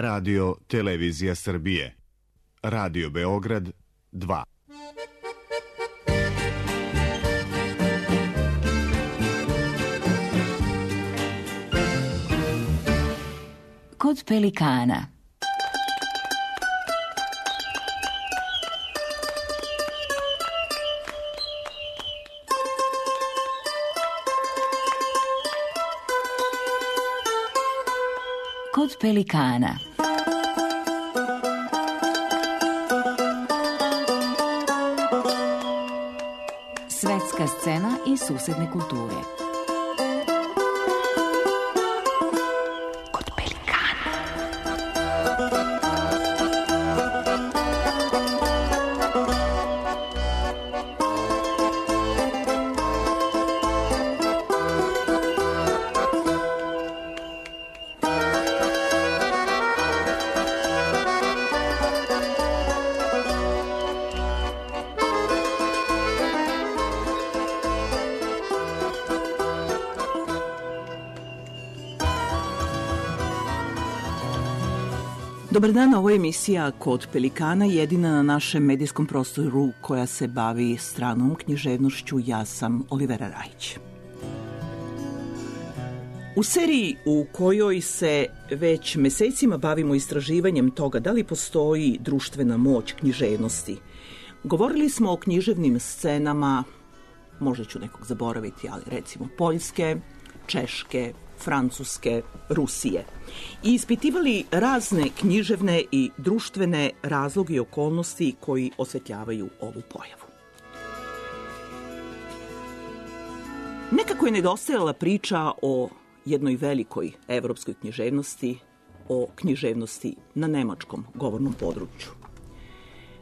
Radio Televizija Srbije. Radio Beograd 2. Kod pelikana. Kod pelikana. Svetska scena i susedne kulture. Kod pelikana. Dobar dan, ovo je emisija Kod pelikana, jedina na našem medijskom prostoru koja se bavi stranom književnošću. Ja sam Olivera Rajić. U seriji u kojoj se već mesecima bavimo istraživanjem toga da li postoji društvena moć književnosti, govorili smo o književnim scenama, možda ću nekog zaboraviti, ali recimo Poljske, Češke, Francuske, Rusije i ispitivali razne književne i društvene razloge i okolnosti koji osvetljavaju ovu pojavu. Nekako je nedostajala priča o jednoj velikoj evropskoj književnosti, o književnosti na nemačkom govornom području.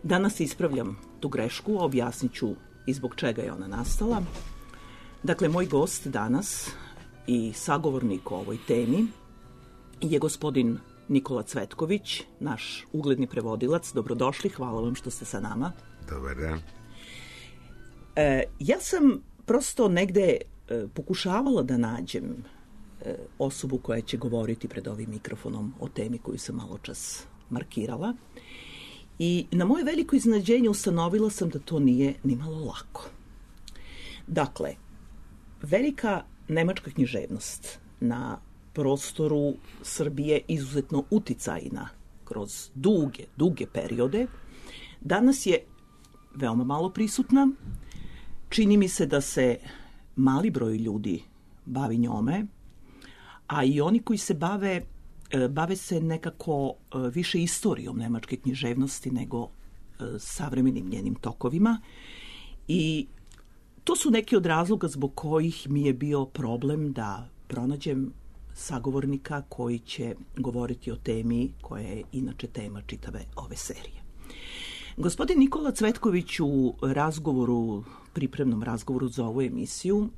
Danas ispravljam tu grešku, objasnit ću i zbog čega je ona nastala. Dakle, moj gost danas i sagovornik o ovoj temi je gospodin Nikola Cvetković, naš ugledni prevodilac. Dobrodošli, hvala vam što ste sa nama. Dobar dan. Ja sam prosto negde pokušavala da nađem osobu koja će govoriti pred ovim mikrofonom o temi koju sam malo čas markirala. I na moje veliko iznenađenje ustanovila sam da to nije ni malo lako. Dakle, velika nemačka književnost na prostoru Srbije izuzetno uticajna kroz duge periode, danas je veoma malo prisutna. Čini mi se da se mali broj ljudi bavi njome, a i oni koji se bave se nekako više istorijom nemačke književnosti nego savremenim njenim tokovima. I to su neki od razloga zbog kojih mi je bio problem da pronađem sagovornika koji će govoriti o temi koja je inače tema čitave ove serije. Gospodin Nikola Cvetković u pripremnom razgovoru za ovu emisiju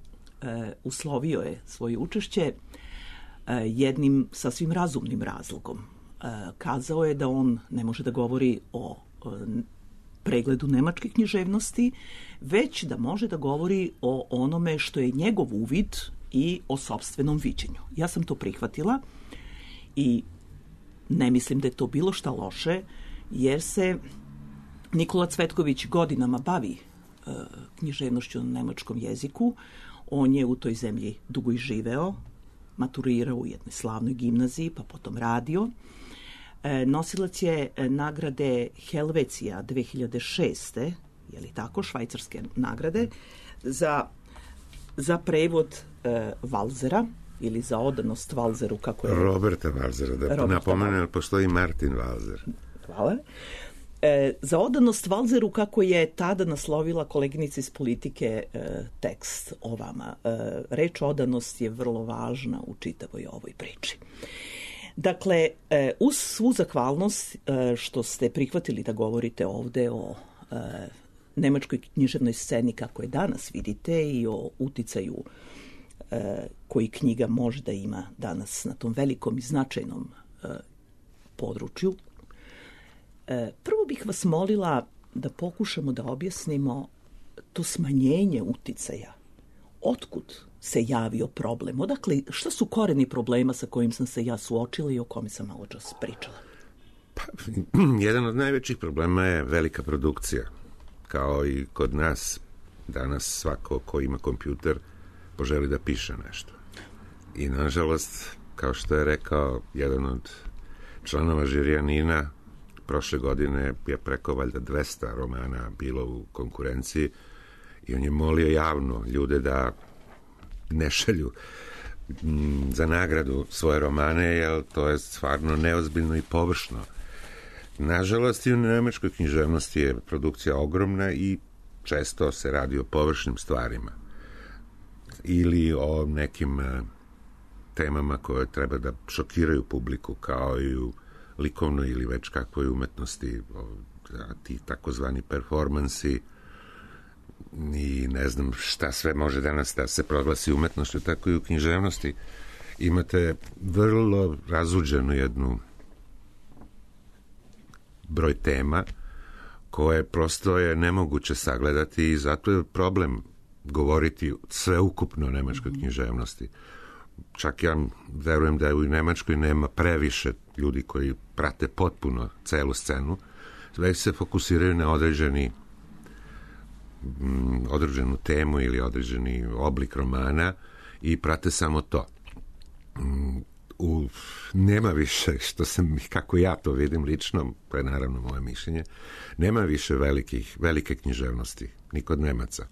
uslovio je svoje učešće jednim sasvim razumnim razlogom. Kazao je da on ne može da govori o pregledu nemačke književnosti, već da može da govori o onome što je njegov uvid i o sopstvenom viđenju. Ja sam to prihvatila i ne mislim da je to bilo šta loše, jer se Nikola Cvetković godinama bavi književnošću na nemačkom jeziku. On je u toj zemlji dugo i živeo, maturirao u jednoj slavnoj gimnaziji, pa potom radio. Nosilac je nagrade Helvecija 2006. Je li tako, švajcarske nagrade, za prevod Valzera ili za odanost Valzeru, kako je... Roberta Valzera, da napomenem, postoji Martin Valzer. Hvala. Za odanost Valzeru, kako je tada naslovila koleginica iz politike tekst o vama. Reč odanost je vrlo važna u čitavoj ovoj priči. Dakle, uz svu zahvalnost što ste prihvatili da govorite ovde o nemačkoj književnoj sceni kako je danas vidite i o uticaju koji knjiga može da ima danas na tom velikom i značajnom području, prvo bih vas molila da pokušamo da objasnimo to smanjenje uticaja. Otkud se javio problem? Odakle, šta su koreni problema sa kojim sam se ja suočila i o kome sam malo čas pričala? Pa, jedan od najvećih problema je velika produkcija. Kao i kod nas, danas svako ko ima kompjuter poželi da piše nešto. I nažalost, kao što je rekao jedan od članova žirija Nina, prošle godine je preko valjda 200 romana bilo u konkurenciji i on je molio javno ljude da ne šalju za nagradu svoje romane, jer to je stvarno neozbiljno i površno. Nažalost, i u nemačkoj književnosti je produkcija ogromna i često se radi o površnim stvarima ili o nekim temama koje treba da šokiraju publiku, kao i u likovnoj ili već kakvoj umetnosti, ti takozvani performansi i ne znam šta sve može danas da se proglasi umetnošću, tako i u književnosti. Imate vrlo razuđenu jednu broj tema koje prosto je nemoguće sagledati i zato je problem govoriti sveukupno o nemačkoj književnosti. Čak ja verujem da u Nemačkoj nema previše ljudi koji prate potpuno celu scenu, već se fokusiraju na određenu temu ili određeni oblik romana i prate samo to. Nema više, kako ja to vidim lično, to je naravno moje mišljenje, nema više velike književnosti, ni kod Nemaca.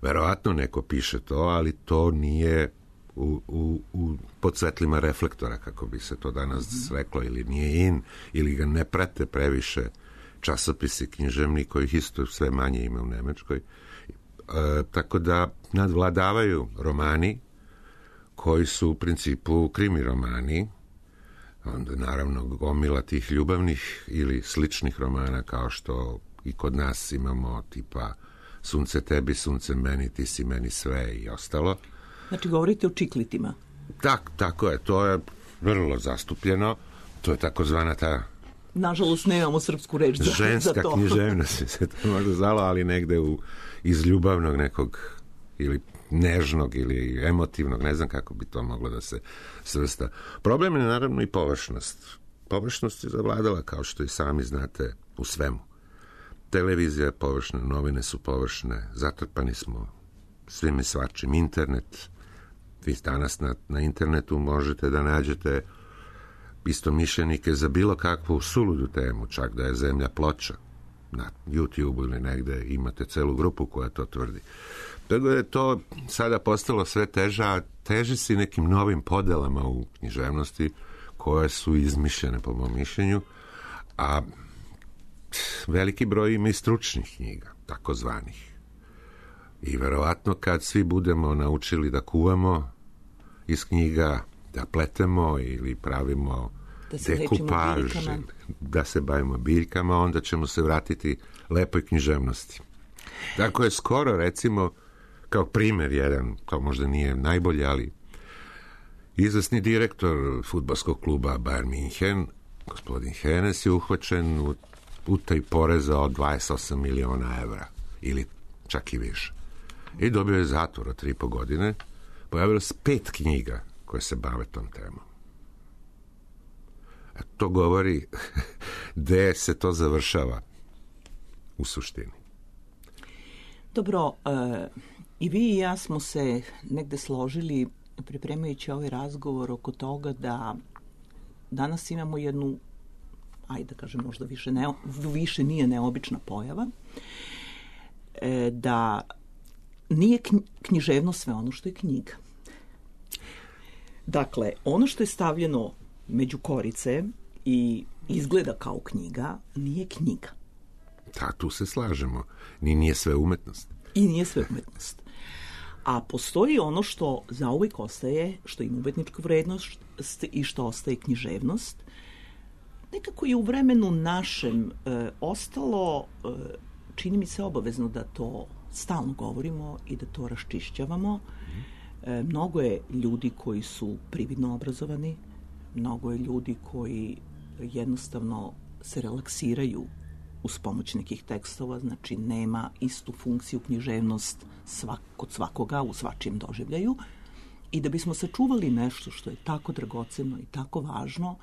Verovatno neko piše to, ali to nije pod svetlima reflektora, kako bi se to danas reklo, ili nije in, ili ga ne prate previše časopisi književni, kojih isto sve manje ima u Nemačkoj. Tako da nadvladavaju romani koji su u principu krimi romani, onda naravno gomila tih ljubavnih ili sličnih romana, kao što i kod nas imamo tipa Sunce tebi, sunce meni, ti si meni sve i ostalo. Znači, govorite o čiklitima. Tako je, to je vrlo zastupljeno, to je takozvana ta... Nažalost, nemamo srpsku reč za to. Ženska književnost se to možda zvala, ali negde iz ljubavnog nekog, ili nežnog, ili emotivnog, ne znam kako bi to moglo da se svrsta. Problem je naravno i površnost. Površnost je zavladala, kao što i sami znate, u svemu. Televizija je površna, novine su površne, zatrpani smo svim i svačim. Internet, vi danas na internetu možete da nađete istomišljenike za bilo kakvu suludu temu, čak da je zemlja ploča. Na YouTube ili negde imate celu grupu koja to tvrdi. Tako da je to sada postalo sve teža, a teži si nekim novim podelama u književnosti koje su izmišljene po mom mišljenju, a veliki broj ima i stručnih knjiga, takozvanih. I verovatno kad svi budemo naučili da kuvamo iz knjiga, da pletemo ili pravimo dekupaž, da se bavimo biljkama, onda ćemo se vratiti lepoj književnosti. Tako je skoro, recimo, kao primjer jedan, to možda nije najbolje, ali izvesni direktor fudbalskog kluba Bayern München, gospodin Hennes, je uhvaćen u utaji poreza od 28 miliona evra, ili čak i više. I dobio je zatvor od 3,5 godine. Pojavilo se 5 knjiga koje se bave tom temom. A to govori gde se to završava u suštini. Dobro, i vi i ja smo se negde složili, pripremajući ovaj razgovor, oko toga da danas imamo jednu, ajde da kažem, možda više nije neobična pojava, da nije književno sve ono što je knjiga. Dakle, ono što je stavljeno među korice i izgleda kao knjiga, nije knjiga. Da, tu se slažemo. Nije sve umetnost. I nije sve umetnost. A postoji ono što zauvijek ostaje, što ima umetničku vrednost i što ostaje književnost. Nekako je u vremenu našem ostalo, čini mi se obavezno da to stalno govorimo i da to raščišćavamo. Mnogo je ljudi koji su prividno obrazovani, mnogo je ljudi koji jednostavno se relaksiraju uz pomoć nekih tekstova, znači nema istu funkciju književnost kod svakoga u svačijem doživljaju. I da bismo sačuvali nešto što je tako dragoceno i tako važno,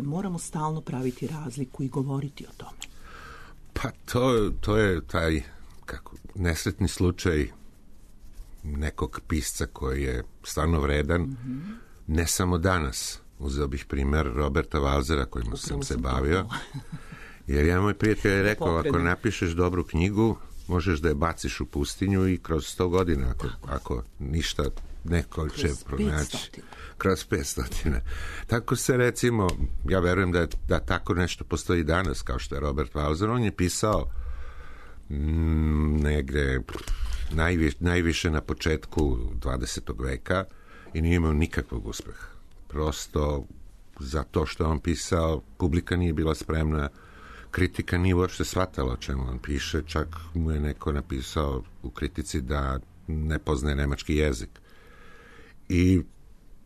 moramo stalno praviti razliku i govoriti o tome. Pa to je taj nesretni slučaj nekog pisca koji je stvarno vredan, ne samo danas. Uzeo bih primjer Roberta Walsera kojim sam se bavio. Jer ja moj prijatelj je rekao, ako napišeš dobru knjigu, možeš da je baciš u pustinju i kroz 100 godina, ako ništa neko će pronaći. Kroz 500. Tako se recimo, ja verujem da tako nešto postoji danas, kao što je Robert Walser. On je pisao negde najviše na početku 20. veka i nije imao nikakvog uspeha. Prosto zato što on pisao, publika nije bila spremna, kritika nije uopšte shvatala o čemu on piše, čak mu je neko napisao u kritici da ne poznaje nemački jezik. I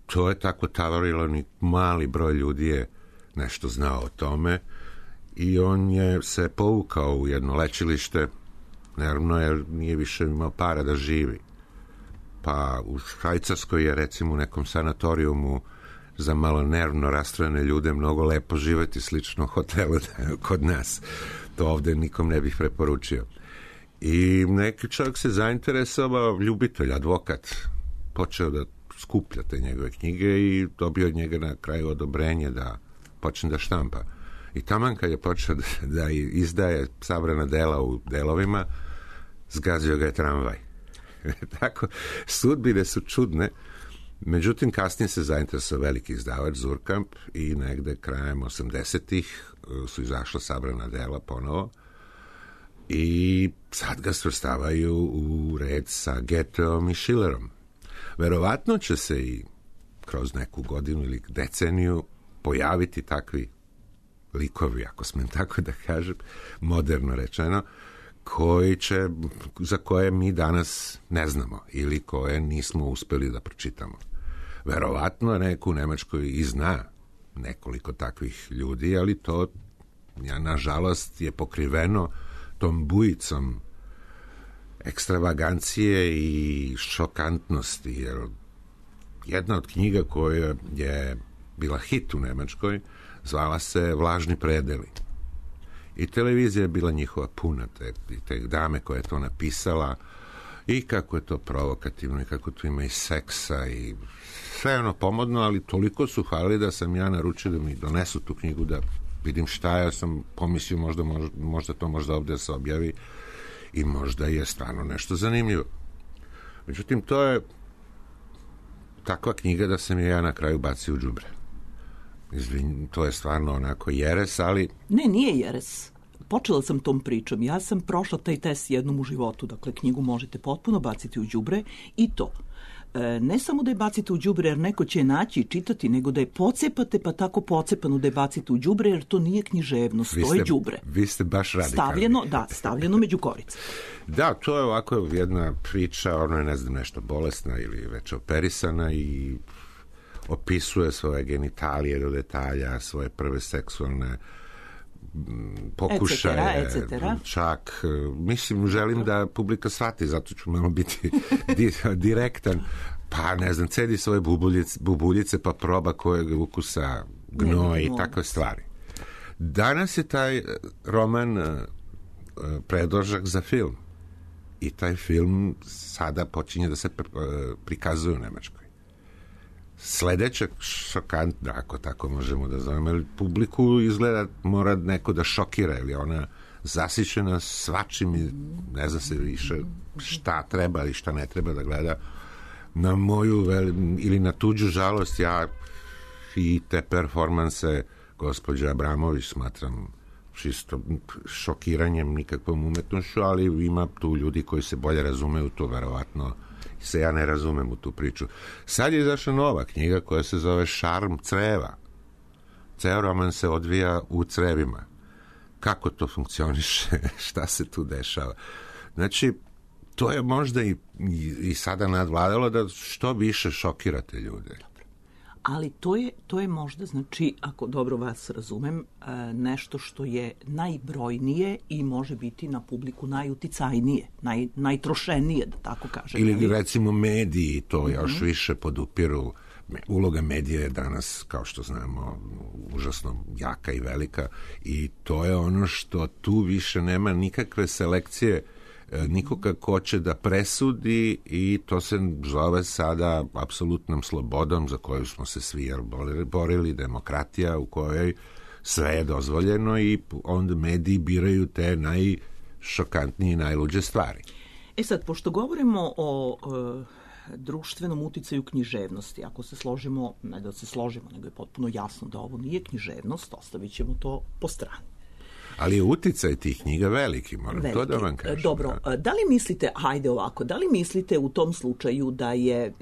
to je tako tavarilo, ni mali broj ljudi je nešto znao o tome i on je se povukao u jedno lečilište, naravno jer nije više imao para da živi. Pa u Švajcarskoj je recimo u nekom sanatorijumu za malo nervno rastrojene ljude mnogo lepo živjeti, slično hotelu kod nas. To ovdje nikom ne bih preporučio. I neki čovjek se zainteresovao, ljubitelj, advokat, počeo da skuplja te njegove knjige i dobio od njega na kraju odobrenje da počne da štampa. I taman kad je počeo da izdaje sabrana dela u delovima, zgazio ga je tramvaj. Tako, sudbine su čudne. Međutim, kasnije se zainteresovao veliki izdavač Zurkamp i negde krajem 80-ih su izašla sabrana dela ponovo i sad ga svrstavaju u red sa Goetheom i Schillerom. Verovatno će se i kroz neku godinu ili deceniju pojaviti takvi likovi, ako smem tako da kažem, moderno rečeno, za koje mi danas ne znamo ili koje nismo uspeli da pročitamo. Verovatno neko u Nemačkoj i zna nekoliko takvih ljudi, ali to nažalost je pokriveno tom bujicom ekstravagancije i šokantnosti, jer jedna od knjiga koja je bila hit u Nemačkoj zvala se Vlažni predeli. I televizija je bila njihova puna, te dame koja je to napisala i kako je to provokativno i kako tu ima i seksa i sve ono pomodno, ali toliko su hvalili da sam ja naručio da mi donesu tu knjigu da vidim šta ja sam pomislio, možda to možda ovdje se objavi i možda je stvarno nešto zanimljivo. Međutim, to je takva knjiga da sam je ja na kraju bacio u đubre. To je stvarno onako jeres, ali... Ne, nije jeres. Počela sam tom pričom. Ja sam prošla taj test jednom u životu. Dakle, knjigu možete potpuno baciti u đubre i to. Ne samo da je bacite u đubre jer neko će je naći i čitati, nego da je pocepate pa tako pocepano da je bacite u đubre jer to nije književnost, to je đubre. Vi ste baš radikalni. Stavljeno među korice. Da, to je ovako jedna priča, ono je ne znam nešto bolesna ili već operisana i opisuje svoje genitalije do detalja, svoje prve seksualne pokušaje, čak, mislim, želim da publika shvati, zato ću malo biti direktan, pa ne znam, cedi svoje bubuljice pa proba kojeg ukusa gnoj i takve stvari. Danas je taj roman predložak za film i taj film sada počinje da se prikazuje u Nemačkoj. Sledeća šokantna, ako tako možemo da zovemo, jer publiku izgleda mora neko da šokira, ili ona zasićena svačim i ne zna se više šta treba ili šta ne treba da gleda. Na moju ili na tuđu žalost ja i te performanse gospođe Abramović smatram čisto šokiranjem, nikakvom umetnošću, ali ima tu ljudi koji se bolje razumeju to, verovatno se ja ne razumem u tu priču. Sad je izašla nova knjiga koja se zove Šarm creva. Ceo roman se odvija u crevima. Kako to funkcioniše? Šta se tu dešava? Znači, to je možda i sada nadvladalo da što više šokirate ljude. Ali to je možda, znači, ako dobro vas razumem, nešto što je najbrojnije i može biti na publiku najuticajnije, najtrošenije, da tako kažem. Ili recimo mediji to još više podupiru. Uloga medija je danas, kao što znamo, užasno jaka i velika i to je ono što tu više nema nikakve selekcije nikoga ko će da presudi i to se zove sada apsolutnom slobodom za koju smo se svi borili, demokratija u kojoj sve je dozvoljeno i onda mediji biraju te najšokantnije i najluđe stvari. Sad, pošto govorimo o društvenom uticaju književnosti, ako se složimo, ne da se složimo, nego je potpuno jasno da ovo nije književnost, ostavit ćemo to po strani. Ali je uticaj tih knjiga veliki, moram to da vam kažem. Dobro, da li mislite, hajde ovako, da li mislite u tom slučaju da je,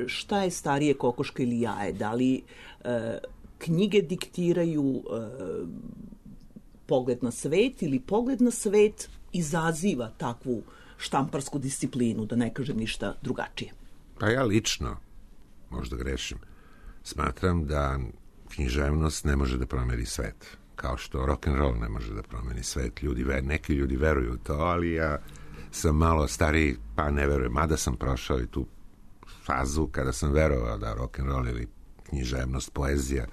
šta je starije, kokoška ili jaje, da li knjige diktiraju pogled na svet ili pogled na svet izaziva takvu štamparsku disciplinu, da ne kažem ništa drugačije? Pa ja lično, možda grešim, smatram da književnost ne može da promeni svet. Kao što rock'n'roll ne može da promeni svet. Neki ljudi veruju u to, ali ja sam malo stariji, pa ne verujem. Mada sam prošao i tu fazu kada sam verovao da rock'n'roll ili književnost, poezija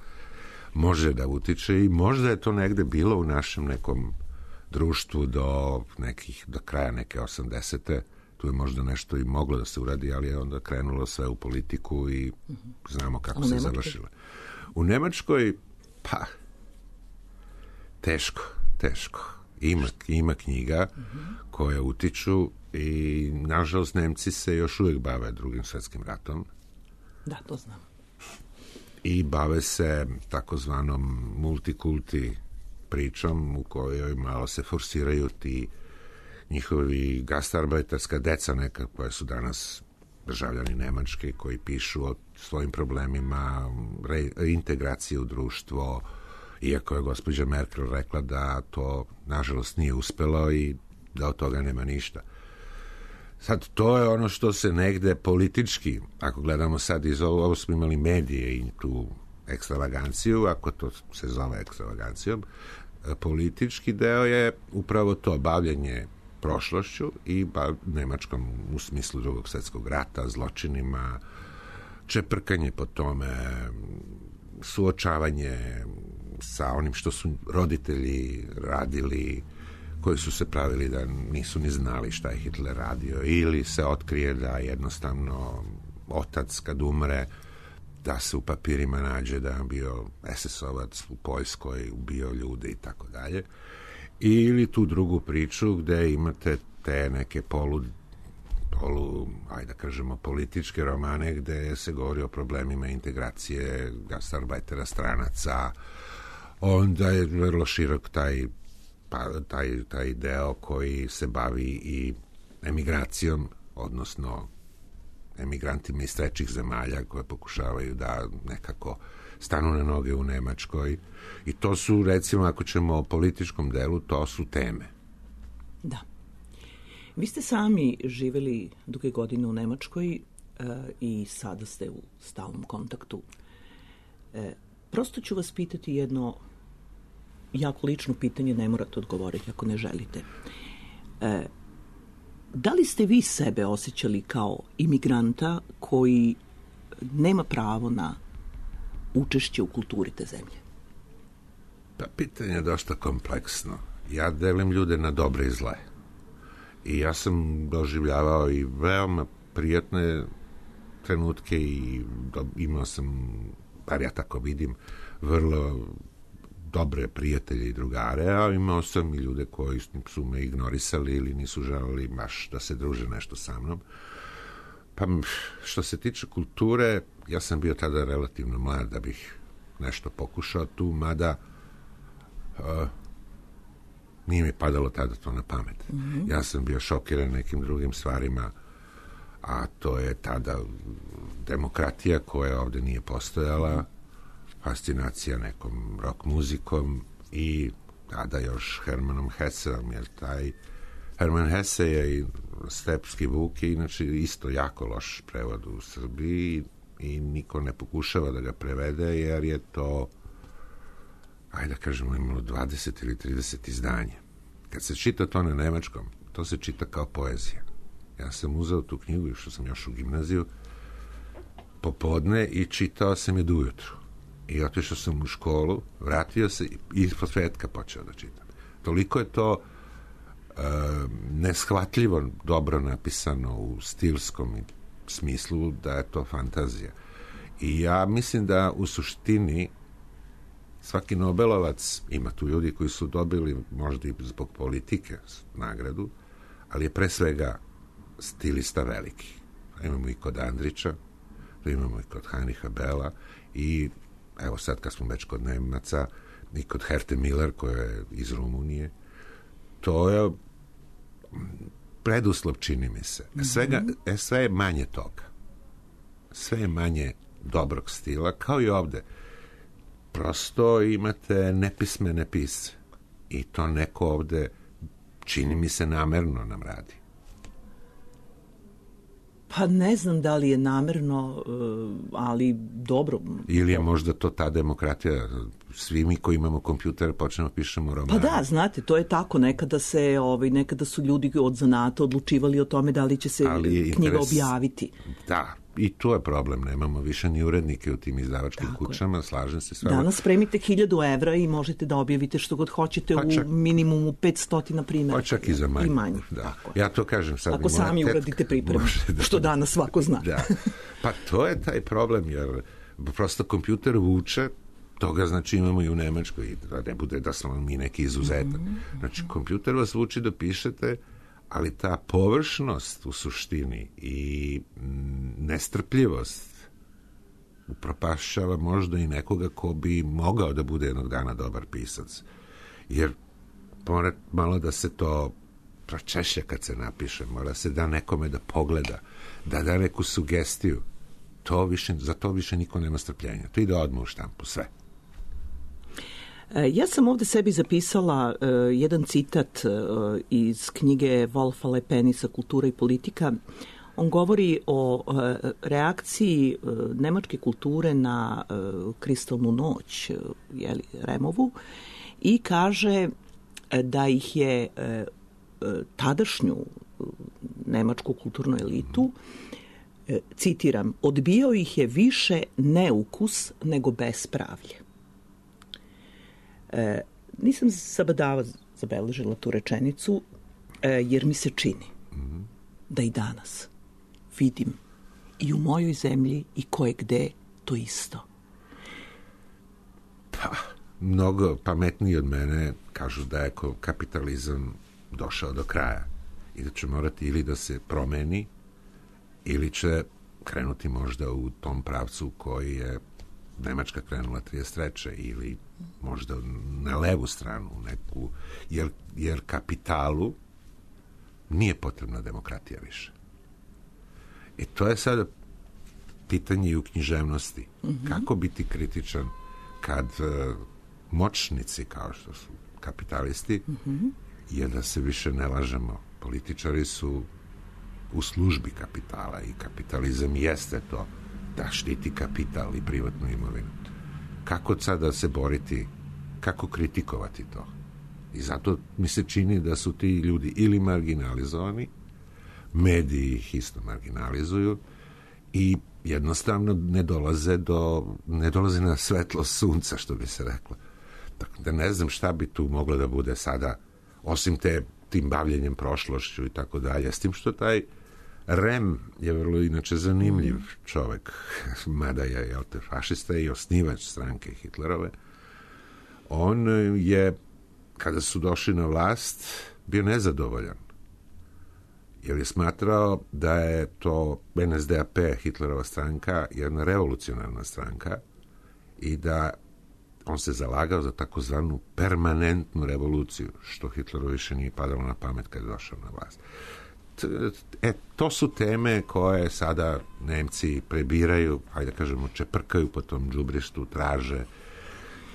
može da utiče i možda je to negde bilo u našem nekom društvu do kraja neke 80. Tu je možda nešto i moglo da se uradi, ali je onda krenulo sve u politiku i znamo kako se završilo. U Nemačkoj, pa teško. Ima knjiga koje utiču i nažalost Nemci se još uvijek bave Drugim svjetskim ratom. Da, to znam. I bave se takozvanom multikulti pričom u kojoj malo se forsiraju ti njihovi gastarbeiterska deca neka koja su danas državljani Nemačke koji pišu o svojim problemima, reintegracije u društvo, iako je gospođa Merkel rekla da to nažalost nije uspelo i da od toga nema ništa. Sad, to je ono što se negde politički, ako gledamo sad iz ovo smo imali medije i tu ekstravaganciju, ako to se zove ekstravagancijom, politički deo je upravo to bavljenje prošlošću i Nemačkom u smislu Drugog svjetskog rata, zločinima, čeprkanje po tome, suočavanje sa onim što su roditelji radili, koji su se pravili da nisu ni znali šta je Hitler radio, ili se otkrije da jednostavno otac kad umre da se u papirima nađe da je bio SS-ovac u Poljskoj, ubio ljude i tako dalje. Ili tu drugu priču gde imate te neke ajde da kažemo, političke romane gde se govori o problemima integracije gastarbeitera, stranaca. Onda je vrlo širok taj deo koji se bavi i emigracijom, odnosno emigrantima iz trećih zemalja koje pokušavaju da nekako stanu na noge u Nemačkoj. I to su, recimo, ako ćemo o političkom delu, to su teme. Da. Vi ste sami živjeli duge godine u Nemačkoj i sada ste u stalnom kontaktu. Prosto ću vas pitati jedno jako lično pitanje, ne morate odgovoriti ako ne želite. Da li ste vi sebe osjećali kao imigranta koji nema pravo na učešće u kulturi te zemlje? Pa pitanje je dosta kompleksno. Ja delim ljude na dobre i zle. I ja sam doživljavao i veoma prijatne trenutke i imao sam, bar ja tako vidim, vrlo dobre prijatelje i drugare, a imao sam i ljude koji su me ignorisali ili nisu želeli baš da se druže nešto sa mnom. Pa što se tiče kulture, ja sam bio tada relativno mlad da bih nešto pokušao tu, mada nije mi padalo tada to na pamet. Ja sam bio šokiran nekim drugim stvarima, a to je tada demokratija koja ovdje nije postojala, fascinacija nekom rock muzikom i tada još Hermanom Hesseom, jer taj Herman Hesse je i Stepski Vuk je inače isto jako loš prevod u Srbiji i niko ne pokušava da ga prevede, jer je to, ajde da kažemo, imalo 20 ili 30 izdanja. Kad se čita to na nemačkom, to se čita kao poezija. Ja sam uzeo tu knjigu, išao sam još u gimnaziju, popodne i čitao sam je do ujutru. I otišao sam u školu, vratio se i po svetka počeo da čitam. Toliko je to neshvatljivo dobro napisano u stilskom smislu da je to fantazija. I ja mislim da u suštini svaki Nobelovac, ima tu ljudi koji su dobili možda i zbog politike nagradu, ali je pre svega stilista veliki. Imamo i kod Andrića, imamo i kod Heinricha Bella i evo sad kad smo već kod Nemaca i kod Herthe Miller koja je iz Rumunije, to je preduslov, čini mi se. Sve je manje toga. Sve je manje dobrog stila, kao i ovde. Prosto imate nepismene pisce. I to neko ovde, čini mi se, namerno nam radi. Pa ne znam da li je namerno, ali dobro. Ili je možda to ta demokratija, svi mi koji imamo kompjuter počnemo pišemo romane. Pa da, znate, to je tako. Nekada su ljudi od zanata odlučivali o tome da li će se knjiga objaviti. Da, i to je problem. Nemamo više ni urednike u tim izdavačkim kućama, slažem se s vama. Danas spremite 1000 evra i možete da objavite što god hoćete u minimumu 500 primjera. Pa čak i za manje. I manje. Da. Ja to kažem sad. Ako sami uradite pripremu, što danas svako zna. Da. Pa to je taj problem, jer prosto kompjuter vuče, toga znači imamo i u Nemačkoj, da ne bude da smo mi neki izuzetak. Znači, kompjuter vas vuči da pišete, ali ta površnost u suštini i nestrpljivost upropašćava možda i nekoga ko bi mogao da bude jednog dana dobar pisac. Jer mora malo da se to pročešlja kad se napiše, mora se da nekome da pogleda, da neku sugestiju. Za to više niko nema strpljenja. To ide odmah u štampu, sve. Ja sam ovde sebi zapisala jedan citat iz knjige Wolfa Lepenisa Kultura i politika. On govori o reakciji nemačke kulture na Kristalnu noć, Removu, i kaže da ih je tadašnju nemačku kulturnu elitu, citiram, odbijao ih je više neukus nego bespravlje. Nisam zabadava zabeležila tu rečenicu, jer mi se čini da i danas vidim i u mojoj zemlji i koje gde to isto. Pa, mnogo pametniji od mene kažu da je kapitalizam došao do kraja i da će morati ili da se promeni ili će krenuti možda u tom pravcu koji je Nemačka krenula 33. ili možda na levu stranu neku, jer kapitalu nije potrebna demokratija više. I to je sada pitanje i u književnosti. Kako biti kritičan kad moćnici, kao što su kapitalisti, jer da se više ne lažemo, političari su u službi kapitala i kapitalizam jeste to da štiti kapital i privatnu imovinu. Kako sada se boriti, kako kritikovati to? I zato mi se čini da su ti ljudi ili marginalizovani, mediji ih isto marginalizuju i jednostavno ne dolaze na svetlo sunca, što bi se reklo. Tako da ne znam šta bi tu moglo da bude sada, osim tim bavljenjem prošlošću i tako dalje. S tim što taj Rem je vrlo inače zanimljiv čovek, mada je fašista i osnivač stranke Hitlerove. On je, kada su došli na vlast, bio nezadovoljan. Jer je smatrao da je to NSDAP, Hitlerova stranka, jedna revolucionarna stranka i da on se zalagao za takozvanu permanentnu revoluciju, što Hitleru više nije padalo na pamet kad je došao na vlast. To su teme koje sada Nemci prebiraju, hajde da kažemo, čeprkaju po tom đubrištu, traže.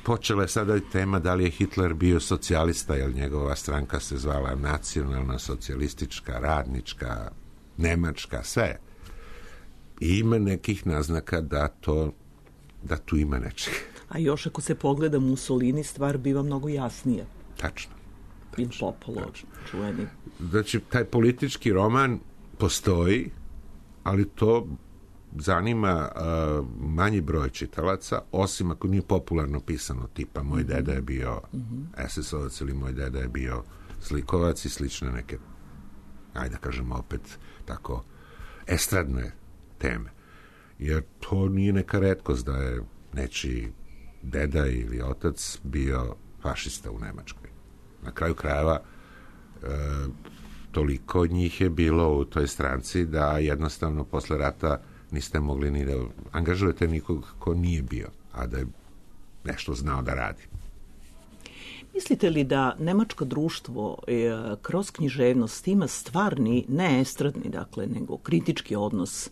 Počela je sada tema da li je Hitler bio socijalista, jer njegova stranka se zvala nacionalna, socijalistička, radnička, nemačka, sve. ima nekih naznaka da tu ima nečega. A još ako se pogleda Mussolini, stvar biva mnogo jasnija. Tačno. Il Popolo, čuveni. Znači, taj politički roman postoji, ali to zanima manji broj čitalaca, osim ako nije popularno pisano, tipa moj deda je bio SS-ovac ili moj deda je bio slikovac i slične neke, ajde da kažemo opet tako, estradne teme. Jer to nije neka retkost da je nečiji deda ili otac bio fašista u Nemačkoj. Na kraju krajeva toliko njih je bilo u toj stranci da jednostavno posle rata niste mogli ni da angažujete nikog ko nije bio, a da je nešto znao da radi. Mislite li da nemačko društvo kroz književnost ima stvarni, ne estradni, dakle, nego kritički odnos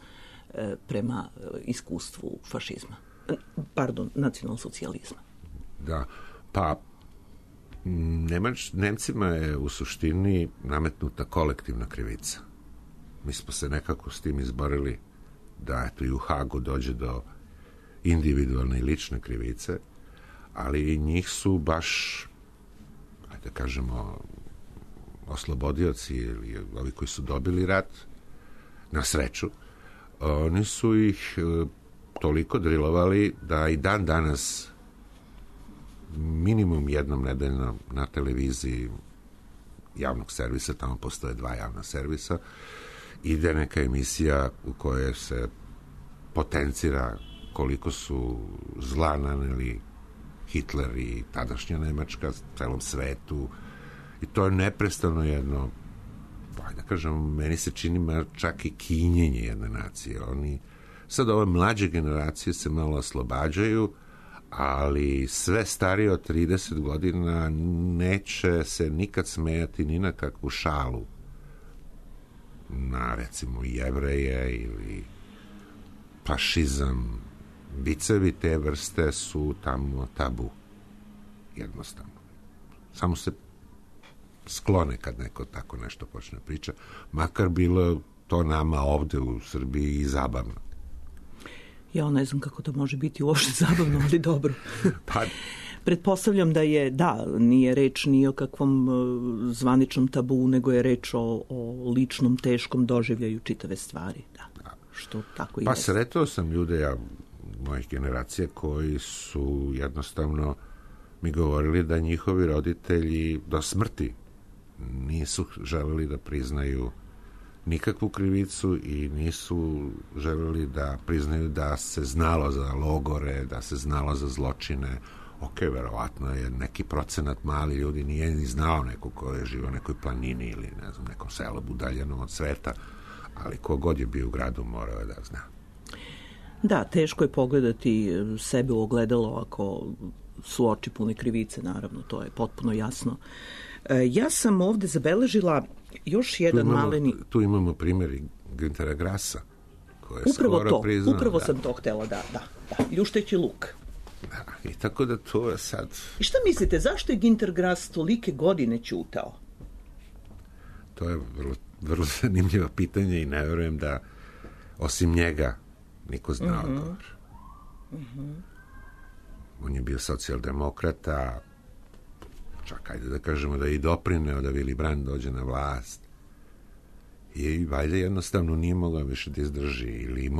prema iskustvu fašizma? Pardon, nacionalsocijalizma. Da, pa Nemcima je u suštini nametnuta kolektivna krivica. Mi smo se nekako s tim izborili da eto i u Hagu dođe do individualne i lične krivice, ali njih su baš, ajde da kažemo, oslobodioci ili ovi koji su dobili rat, na sreću, oni su ih toliko drilovali da i dan danas minimum jednom nedeljno na televiziji javnog servisa, tamo postoje 2 javna servisa, ide neka emisija u kojoj se potencira koliko su zla naneli Hitler i tadašnja Nemačka celom svetu, i to je neprestano jedno, da kažem, meni se čini čak i kinjenje jedne nacije. Oni sad ove mlađe generacije se malo oslobađaju, ali sve starije od 30 godina neće se nikad smejati ni na kakvu šalu na, recimo, Jevreje ili fašizam. Vicevi te vrste su tamo tabu. Jednostavno. Samo se sklone kad neko tako nešto počne priča. Makar bilo to nama ovde u Srbiji i zabavno. Ja ne znam kako to može biti uopšte zabavno, ali dobro. Pa, pretpostavljam da je, nije reč ni o kakvom zvaničnom tabu, nego je reč o ličnom, teškom doživljaju čitave stvari. Da. Što tako pa jest. sretao sam ljude, mojih generacija, koji su jednostavno mi govorili da njihovi roditelji do smrti nisu želeli da priznaju nikakvu krivicu i nisu želeli da priznaju da se znalo za logore, da se znalo za zločine. Ok, verovatno je neki procenat mali ljudi nije ni znao neko ko je živio u nekoj planini ili ne znam, nekom selu udaljenom od sveta, ali kogod je bio u gradu morao je da zna. Da, teško je pogledati sebe u ogledalo ako su oči pune krivice, naravno, to je potpuno jasno. Ja sam ovde zabeležila još jedan maleni... Tu imamo primjer Güntera Grassa, koji je upravo skoro to, priznao... Upravo sam to htela, da. Ljušteći luk. Da, i tako da to je sad... I šta mislite, zašto je Günter Grass tolike godine ćutao? To je vrlo zanimljivo pitanje i ne verujem da osim njega niko zna odgovor. On je bio socijaldemokrata, čak ajde da kažemo da je i doprineo da Willy Brandt dođe na vlast. I valjda jednostavno nije mogao više da izdrži. Ili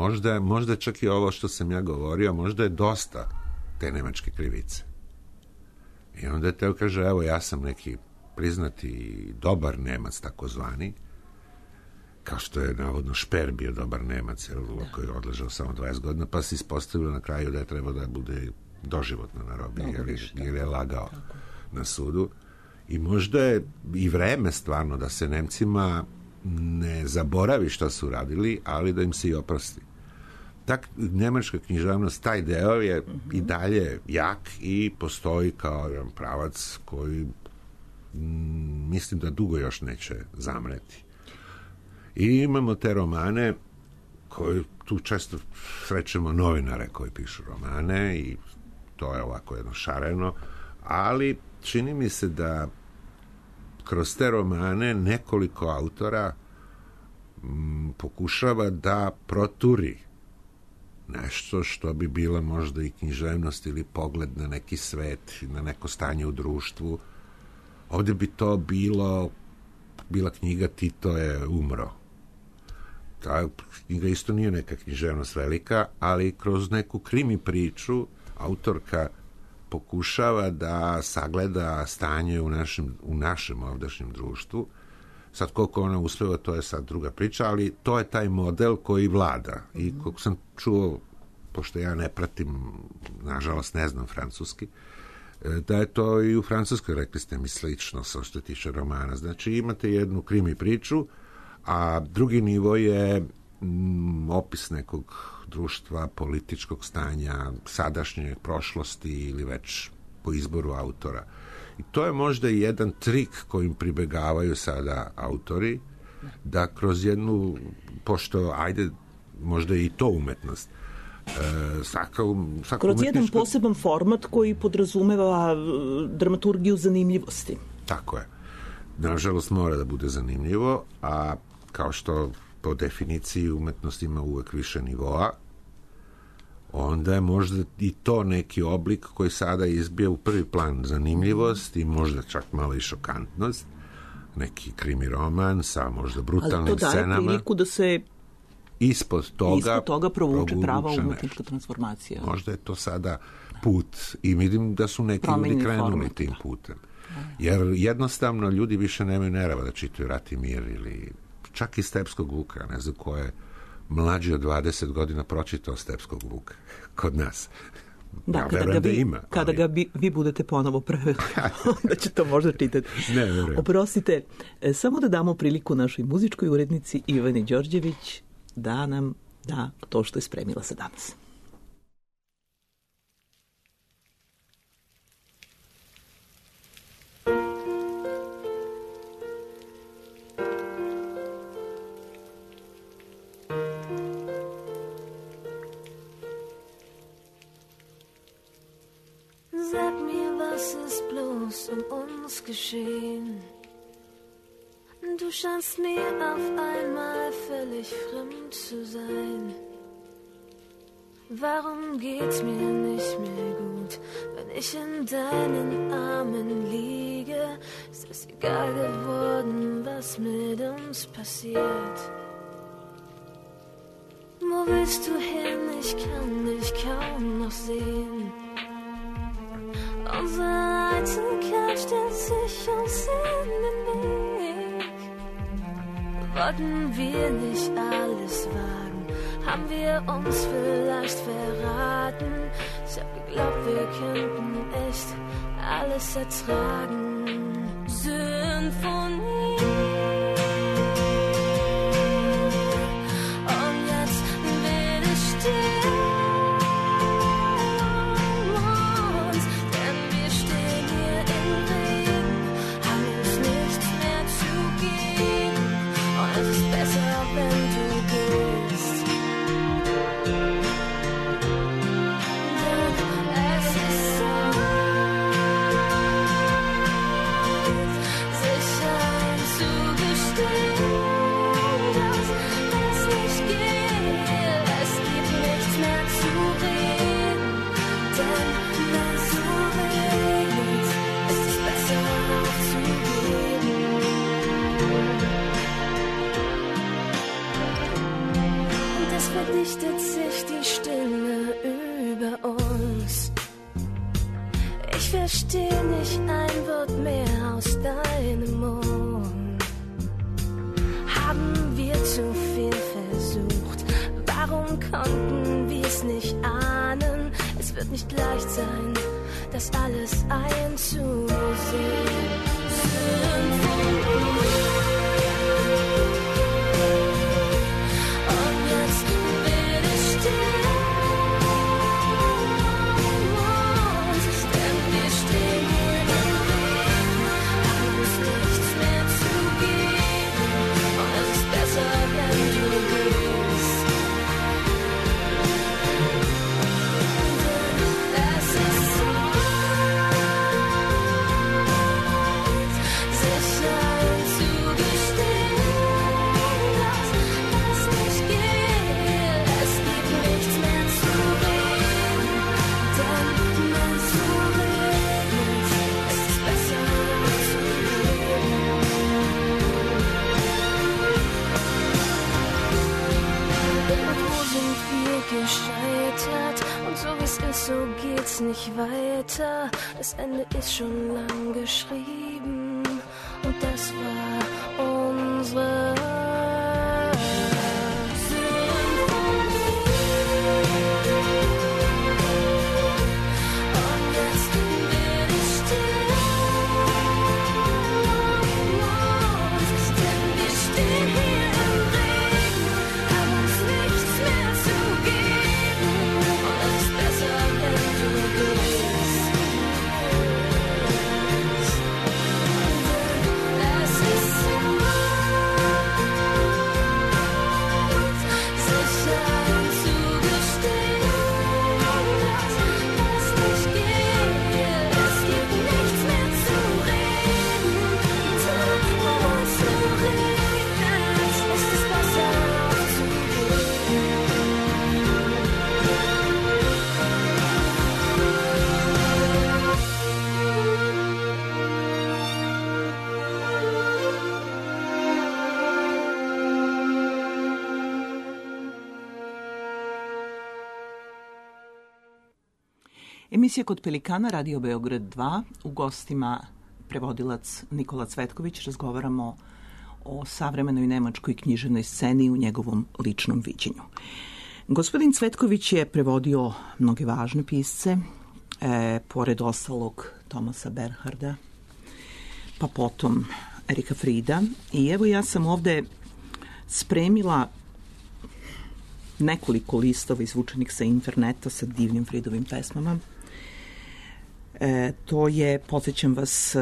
možda čak i ovo što sam ja govorio, možda je dosta te nemačke krivice. I onda je teo kaže, evo ja sam neki priznati dobar Nemac, takozvani, kao što je navodno Šper bio dobar Nemac, koji je odležao samo 20 godina, pa se ispostavilo na kraju da je trebao da bude doživotno na robiji, jer je lagao na sudu. I možda je i vreme stvarno da se Nemcima ne zaboravi šta su radili, ali da im se i oprosti. Tak, nemačka književnost, taj deo je i dalje jak i postoji kao jedan pravac koji mislim da dugo još neće zamreti. I imamo te romane koje tu često srećemo novinare koji pišu romane i to je ovako jedno šareno, ali čini mi se da kroz te romane nekoliko autora pokušava da proturi nešto što bi bila možda i književnost ili pogled na neki svet, na neko stanje u društvu. Ovdje bi to bila knjiga Tito je umro. Ta knjiga isto nije neka književnost velika, ali kroz neku krimi priču autorka pokušava da sagleda stanje u našem ovdašnjem društvu. Sad koliko ona uspeva, to je sad druga priča, ali to je taj model koji vlada. I koliko sam čuo, pošto ja ne pratim, nažalost ne znam francuski, da je to i u Francuskoj, rekli ste mi, slično sa što tiče romana. Znači imate jednu krimi priču, a drugi nivo je opis nekog društva, političkog stanja, sadašnje prošlosti ili već po izboru autora. I to je možda i jedan trik kojim pribegavaju sada autori, da kroz jednu, pošto, ajde, možda i to umetnost, kroz jedan poseban format koji podrazumeva dramaturgiju zanimljivosti. Tako je. Nažalost mora da bude zanimljivo, a kao što po definiciji umetnost ima uvek više nivoa, onda je možda i to neki oblik koji sada izbija u prvi plan zanimljivost i možda čak malo i šokantnost. Neki krimi roman sa možda brutalnim scenama. Ali to daje priliku da se ispod toga provuče prava umetnička transformacija. Možda je to sada put i vidim da su neki ljudi krenuli tim putem. Jer jednostavno ljudi više nemaju nerava da čitaju Rat i mir ili čak i Stepskog Vuka, ne znam ko je mlađi od 20 godina pročitao Stepskog Vuka kod nas. Da, ja kada ga vi budete ponovo preveli, onda će to možda čitati. Oprostite, samo da damo priliku našoj muzičkoj urednici Ivani Đorđević da nam da to što je spremila za danas. Sag mir, was ist bloß uns geschehen? Du scheinst mir auf einmal völlig fremd zu sein. Warum geht's mir nicht mehr gut, wenn ich in deinen Armen liege? Ist es egal geworden, was mit uns passiert? Wo willst du hin? Ich kann dich kaum noch sehen. Unsere Einsamkeit stellt sich uns in den Weg. Wollten wir nicht alles wagen? Haben wir uns vielleicht verraten? Ich hab geglaubt, wir könnten echt alles ertragen. Symphonie. Und jetzt will ich stehen. Verdichtet sich die Stimme über uns. Ich verstehe nicht ein Wort mehr aus deinem Mund. Haben wir zu viel versucht? Warum konnten wir es nicht ahnen? Es wird nicht leicht sein, das alles einzusehen. Symphonie. nicht weiter, das Ende ist schon lang geschrieben und das war unsere Emisija Kod Pelikana, Radio Beograd 2, u gostima prevodilac Nikola Cvetković. Razgovaramo o savremenoj nemačkoj književnoj sceni u njegovom ličnom viđenju. Gospodin Cvetković je prevodio mnoge važne pisce, pored ostalog Thomasa Bernharda, pa potom Erika Frieda. I evo ja sam ovde spremila nekoliko listova izvučenih sa interneta sa divnim Friedovim pesmama. To je, podsjećam vas,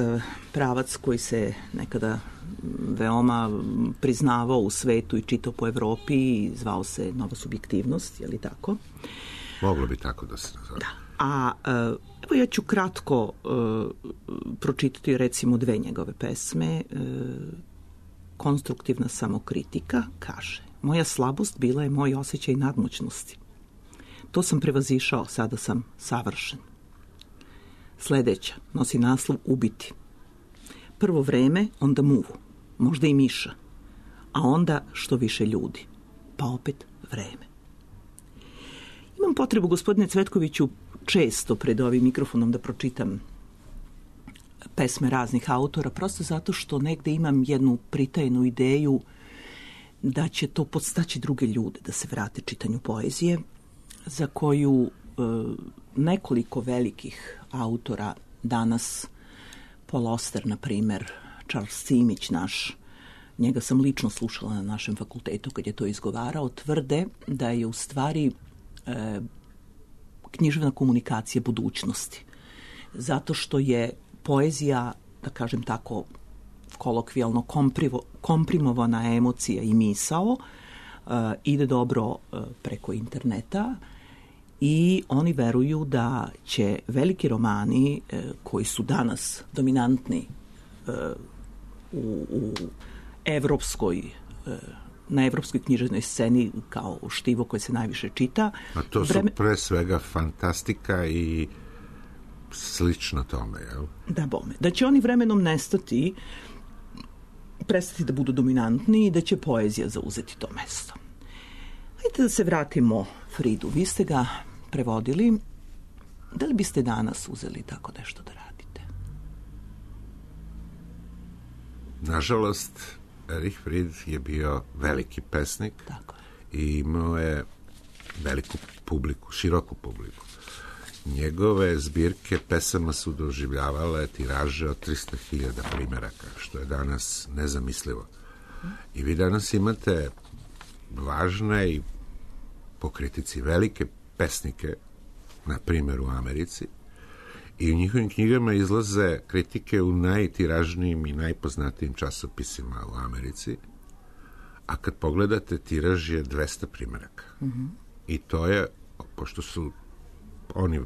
pravac koji se nekada veoma priznavao u svetu i čitao po Evropi i zvao se Nova subjektivnost, je li tako? Moglo bi tako da se nazove. Da. A evo ja ću kratko pročitati recimo dve njegove pesme. Konstruktivna samokritika kaže: moja slabost bila je moj osjećaj nadmoćnosti. To sam prevazišao, sada sam savršen. Sledeća nosi naslov Ubiti. Prvo vreme, onda muvu, možda i miša, a onda što više ljudi, pa opet vreme. Imam potrebu, gospodine Cvetkoviću, često pred ovim mikrofonom da pročitam pesme raznih autora, prosto zato što negde imam jednu pritajenu ideju da će to podstaći druge ljude da se vrate čitanju poezije, za koju nekoliko velikih autora danas, Paul Auster, na primer, Charles Simić naš, njega sam lično slušala na našem fakultetu kad je to izgovarao, tvrde da je u stvari književna komunikacija budućnosti. Zato što je poezija, da kažem tako, kolokvijalno komprimovana emocija i misao, ide dobro preko interneta i oni veruju da će veliki romani koji su danas dominantni u na evropskoj književnoj sceni kao štivo koje se najviše čita. A to su pre svega fantastika i slično tome, jel? Da, bome. Da će oni vremenom prestati da budu dominantni i da će poezija zauzeti to mesto. Hajde da se vratimo Fridu. Vi ste ga prevodili. Da li biste danas uzeli tako nešto da radite? Nažalost, Erich Fried je bio veliki pesnik. Tako je. I imao je veliku publiku, široku publiku. Njegove zbirke pesama su doživljavale tiraže od 300.000 primeraka, što je danas nezamislivo. I vi danas imate važne i po kritici velike pesnike, na primjer u Americi, i u njihovim knjigama izlaze kritike u najtiražnijim i najpoznatijim časopisima u Americi, a kad pogledate, tiraž je 200 primeraka. I to je, pošto su oni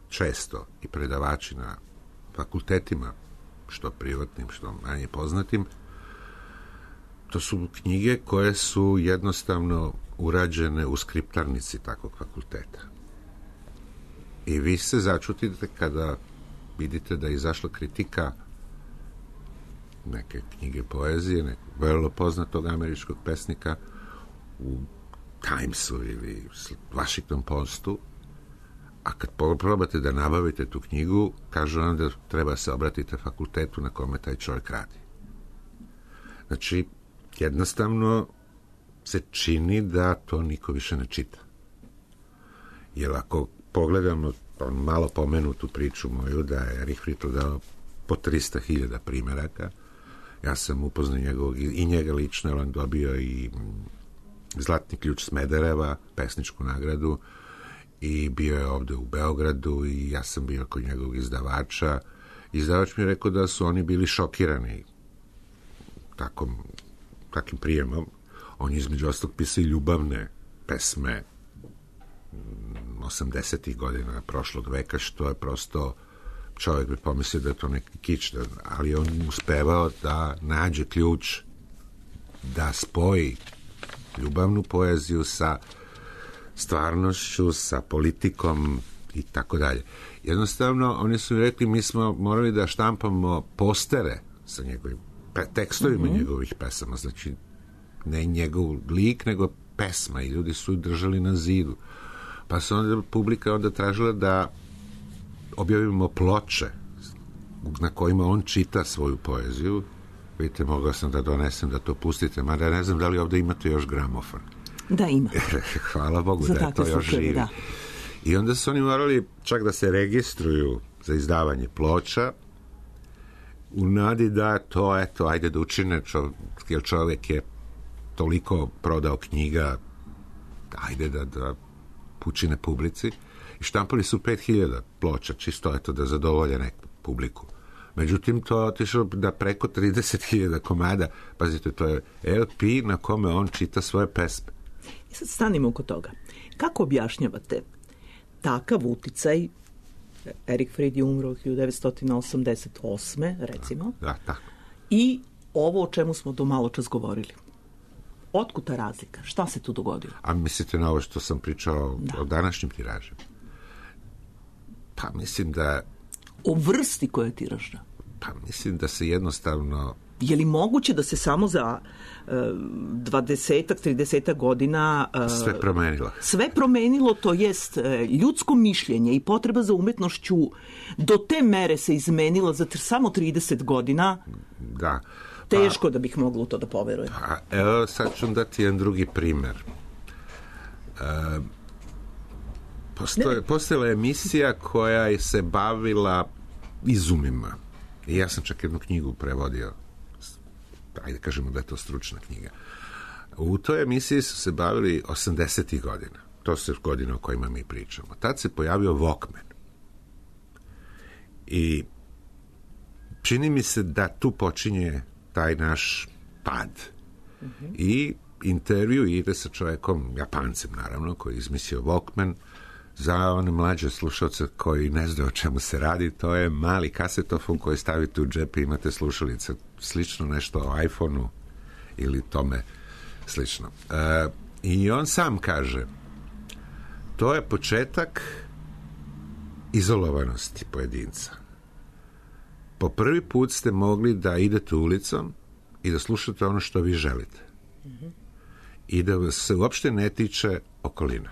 često i predavači na fakultetima, što privatnim, što manje poznatim, to su knjige koje su jednostavno urađene u skriptarnici takvog fakulteta. I vi se začutite kada vidite da je izašla kritika neke knjige poezije, nekog vrlo poznatog američkog pesnika u Timesu ili Washington Postu, A kad probate da nabavite tu knjigu, kažu vam da treba se obratiti fakultetu na kome taj čovjek radi. Znači, jednostavno se čini da to niko više ne čita. Jer ako pogledamo malo pomenutu priču moju da je Erich Friedl dao po 300.000 primjeraka, ja sam upoznao i njega lično, jer on dobio i Zlatni ključ Smedereva, pesničku nagradu, i bio je ovde u Beogradu i ja sam bio kod njegovog izdavača. Izdavač mi je rekao da su oni bili šokirani takim prijemom. On je između ostalog pisao i ljubavne pesme 80. godina prošlog veka, što je prosto, čovjek bi pomislio da je to neki kič, ali on uspevao da nađe ključ da spoji ljubavnu poeziju sa stvarnošću, sa politikom i tako dalje. Jednostavno, oni su rekli, mi smo morali da štampamo postere sa njegovim tekstovima njegovih pesama, znači ne njegov lik, nego pesma, i ljudi su držali na zidu. Pa su onda publika tražila da objavimo ploče na kojima on čita svoju poeziju. Vidite, mogao sam da donesem da to pustite, mada ne znam da li ovdje imate još gramofon. Da, ima. Hvala Bogu da je to još živi. Da. I onda su oni morali čak da se registruju za izdavanje ploča u nadi da to, eto, ajde da učine, jer čovjek je toliko prodao knjiga, ajde da učine publici. I štampali su 5.000 ploča, čisto eto da zadovolje neku publiku. Međutim, to je otišlo da preko 30.000 komada. Pazite, to je LP na kome on čita svoje pesme. I sad stanimo oko toga. Kako objašnjavate takav uticaj? Erich Fried je umro 1988. recimo. Da, tako. I ovo o čemu smo do malo čas govorili. Otkud ta razlika? Šta se tu dogodilo? A mislite na ovo što sam pričao o današnjim tiražima? Pa mislim da... O vrsti koja je tiražna? Pa mislim da se jednostavno... Je li moguće da se samo za 20-30 godina... sve promenilo? Sve promenilo, to jest ljudsko mišljenje i potreba za umetnošću do te mere se izmenila za samo 30 godina. Da. Teško da bih mogla u to da poverujem. Evo, sad ću dati jedan drugi primer. Postojala je emisija koja se bavila izumima. I ja sam čak jednu knjigu prevodio. Ajde kažemo da je to stručna knjiga. U toj emisiji su se bavili 80. godina. To su godine o kojima mi pričamo. Tad se pojavio Walkman. I čini mi se da tu počinje taj naš pad. I intervju ide sa čovjekom, Japancem naravno, koji je izmislio Walkman. Za one mlađe slušalce koji ne znaju o čemu se radi, to je mali kasetofon koji stavite u džep i imate slušalice. Slično nešto o iPhoneu ili tome slično. I on sam kaže, to je početak izolovanosti pojedinca. Po prvi put ste mogli da idete ulicom i da slušate ono što vi želite. I da se uopšte ne tiče okolina.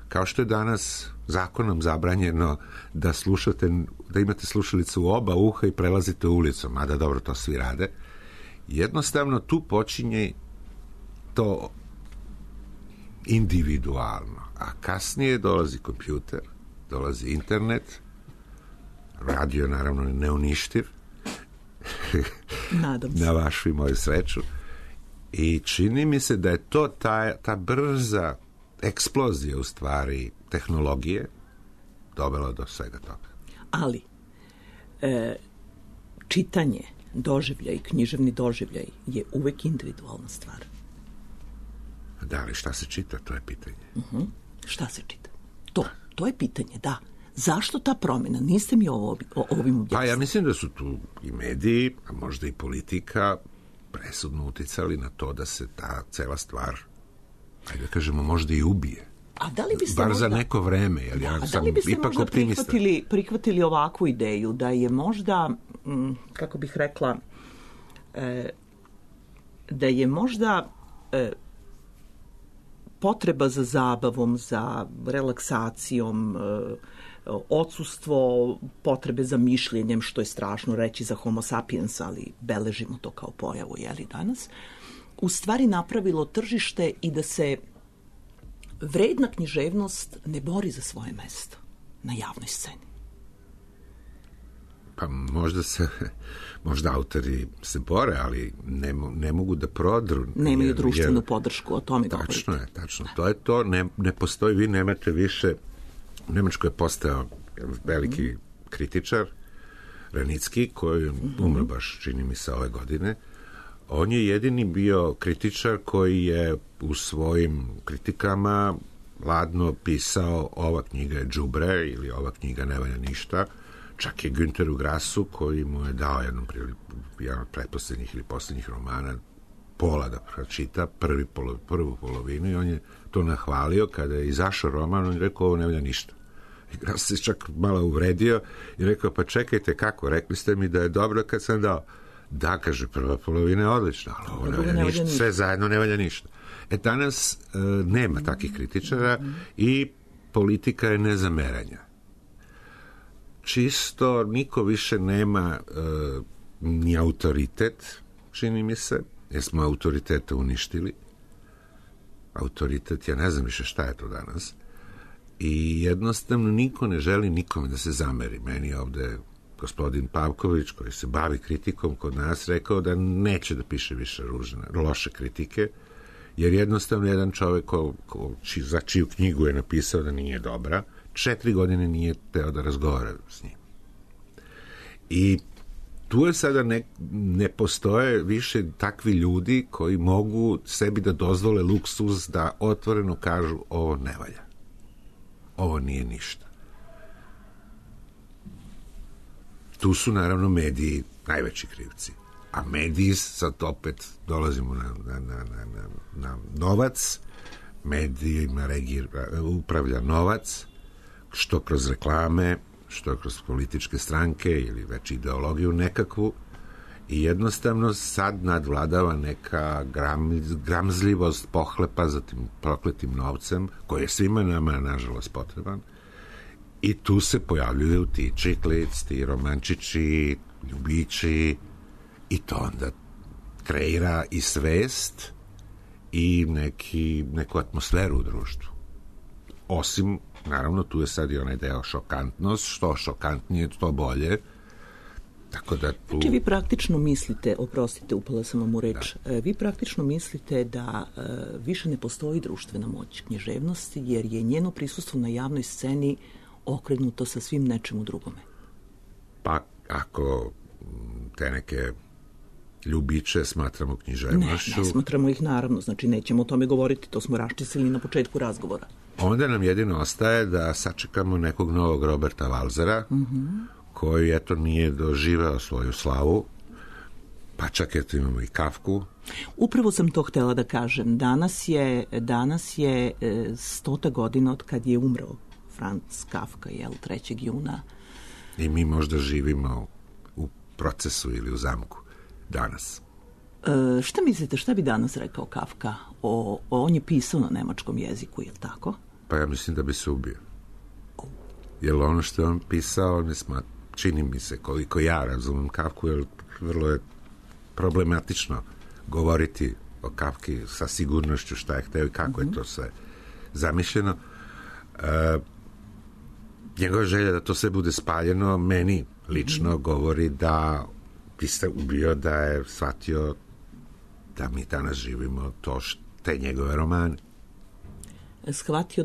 Kao što je danas zakonom zabranjeno da slušate, da imate slušalicu u oba uha i prelazite ulicom, mada dobro, to svi rade. Jednostavno tu počinje to individualno, a kasnije dolazi kompjuter, dolazi internet, radio je naravno neuništiv, nadam se, na vašu i moju sreću, i čini mi se da je to ta brza eksplozija u stvari tehnologije dovela do svega toga. Ali čitanje, doživljaj, književni doživljaj je uvek individualna stvar. Da, ali šta se čita, to je pitanje. Šta se čita? To je pitanje, da. Zašto ta promjena? Niste mi ovim objasnili. Pa ja mislim da su tu i mediji, a možda i politika presudno uticali na to da se ta cela stvar, ajde da kažemo, možda i ubije. A da li biste bar za neko vreme, jer ja sam ipak optimista. Prihvatili ovakvu ideju da je možda, kako bih rekla, da je možda potreba za zabavom, za relaksacijom, odsustvo potrebe za mišljenjem, što je strašno reći za homo sapiens, ali beležimo to kao pojavu, danas, u stvari napravilo tržište i da se vredna književnost ne bori za svoje mesto na javnoj sceni. Pa možda autori se bore, ali ne mogu da prodru. Nemaju društvenu podršku, o tome govorite. Tačno je, tačno. To je to, ne postoji, vi nemate više. U Nemačkoj je postao veliki kritičar, Ranicki, koji umro baš, čini mi se, ove godine. On je jedini bio kritičar koji je u svojim kritikama ladno pisao ova knjiga je đubre ili ova knjiga ne valja ništa. Čak je Günteru Grassu, koji mu je dao jedan od pretposlednjih ili posljednjih romana pola da pročita, prvu polovinu, i on je to nahvalio. Kada je izašao roman, on je rekao ovo ne valja ništa. I Grass se čak malo uvredio i rekao, pa čekajte, kako, rekli ste mi da je dobro kad sam dao. Da, kaže, prva polovina je odlična, ali ovo ne valja ništa, sve zajedno ne valja ništa. Danas nema takvih kritičara i politika je nezameranja. Čisto niko više nema ni autoritet, čini mi se, jer smo autoritete uništili. Autoritet, ja ne znam više šta je to danas. I jednostavno niko ne želi nikome da se zameri. Meni je ovde gospodin Pavković, koji se bavi kritikom kod nas, rekao da neće da piše više loše kritike, jer jednostavno jedan čovek za čiju knjigu je napisao da nije dobra, 4 godine nije teo da razgovara s njim. I tu je sada ne postoje više takvi ljudi koji mogu sebi da dozvole luksuz da otvoreno kažu ovo ne valja. Ovo nije ništa. Tu su naravno mediji najveći krivci. A mediji, sad opet dolazimo na novac, medijima upravlja novac, što kroz reklame, što kroz političke stranke ili već ideologiju nekakvu, i jednostavno sad nadvladava neka gramzljivost pohlepa za tim prokletim novcem, koji je svima nama, nažalost, potreban. I tu se pojavljuju ti čiklic, ti romančići, ljubići, i to onda kreira i svest i neku atmosferu u društvu. Osim, naravno, tu je sad i onaj deo šokantnost, što šokantnije, to bolje. Tako da tu... Znači, vi praktično mislite, oprostite, upala sam vam u reč, vi praktično mislite da više ne postoji društvena moć književnosti, jer je njeno prisustvo na javnoj sceni okrenuto sa svim nečemu drugome. Pa, ako te neke ljubiče smatramo književnošću... Ne smatramo ih, naravno, znači nećemo o tome govoriti, to smo raščistili na početku razgovora. Onda nam jedino ostaje da sačekamo nekog novog Roberta Walsera, koji, eto, nije doživeo svoju slavu, pa čak, eto, imamo i Kafku. Upravo sam to htela da kažem. Danas je 100. godina od kad je umro Franz Kafka, 3. juna. I mi možda živimo u procesu ili u zamku danas. Šta mislite, šta bi danas rekao Kafka? On je pisao na nemačkom jeziku, je li tako? Pa ja mislim da bi se ubio. Jer ono što je on pisao, čini mi se, koliko ja razumem Kafku, jer vrlo je problematično govoriti o Kafki sa sigurnošću šta je hteo i kako je to sve zamišljeno. Njegova želja da to sve bude spaljeno, meni lično govori da bi se ubio, da je shvatio da mi danas živimo te njegove romane. Shvatio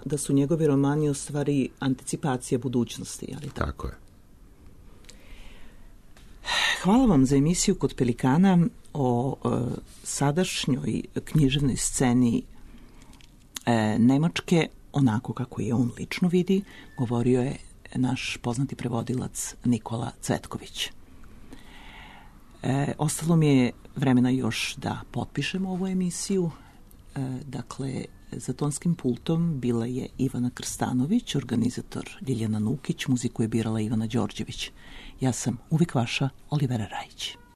da su njegovi romani u stvari anticipacija budućnosti, ali tako je. Hvala vam za emisiju Kod Pelikana o sadašnjoj književnoj sceni Nemačke, onako kako je on lično vidi, govorio je naš poznati prevodilac Nikola Cvetković. Ostalo mi je vremena još da potpišem ovu emisiju. Dakle, za tonskim pultom bila je Ivana Krstanović, organizator Ljiljana Nukić, muziku je birala Ivana Đorđević. Ja sam uvijek vaša Olivera Rajić.